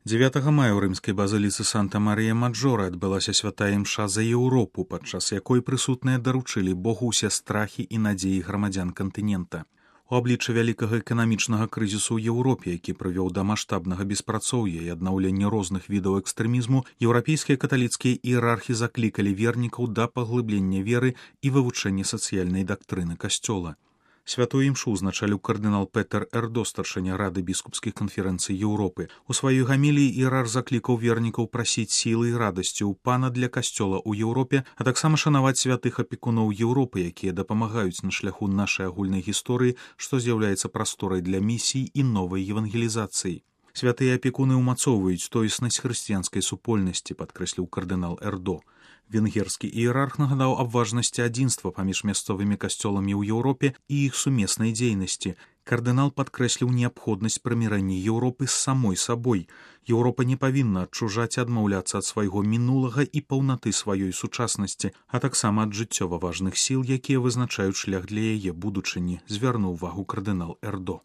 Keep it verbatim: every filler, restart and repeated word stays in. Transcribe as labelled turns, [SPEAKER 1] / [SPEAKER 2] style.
[SPEAKER 1] дзевятага мая ў рымскай базыліцы Санта-Марія-Маджора адбылася святая імша за Еўропу, падчас якой прысутныя даручылі Богу ўсе страхі і надзеі грамадзян кантынента. У аблічча вялікага эканамічнага крызісу ў Еўропе, які прывёў да маштабнага беспрацоўя і аднаўлення розных відаў экстрэмізму, еўрапейскія каталіцкія іерархі заклікалі вернікаў да паглыблення веры і вывучэння сацыяльнай дактрыны касцёла. Святую імшу узначаліў кардынал Петер Эрдо, старшыня Рады біскупскіх канферэнцый Еўропы. У сваёй гаміліі іерарх заклікаў вернікаў прасіць сілы і радасці ў пана для касцёла ў Еўропе, а таксама шанаваць святых апекуноў Еўропы, якія дапамагаюць на шляху нашай агульнай гісторыі, што з'яўляецца прасторай для місій і новай евангелізацыі. Святыя апекуны ўмацоўваюць тоеснасць хрысціянскай супольнасці, падкрэсліў кардынал Эрдо. Венгерскі іерарх нагадаў аб важнасці адзінства паміж мясцовымі касцёламі ў Еўропе і іх сумеснай дзейнасці. Кардынал падкрэсліў неабходнасць прымірэння Еўропы з самой сабой. Еўропа не павінна адчужаць і адмаўляцца ад свайго мінулага і паўнаты сваёй сучаснасці, а таксама ад жыццёва важных сіл, якія вызначаюць шлях для яе будучыні, звярнуў увагу кардынал Эрдо.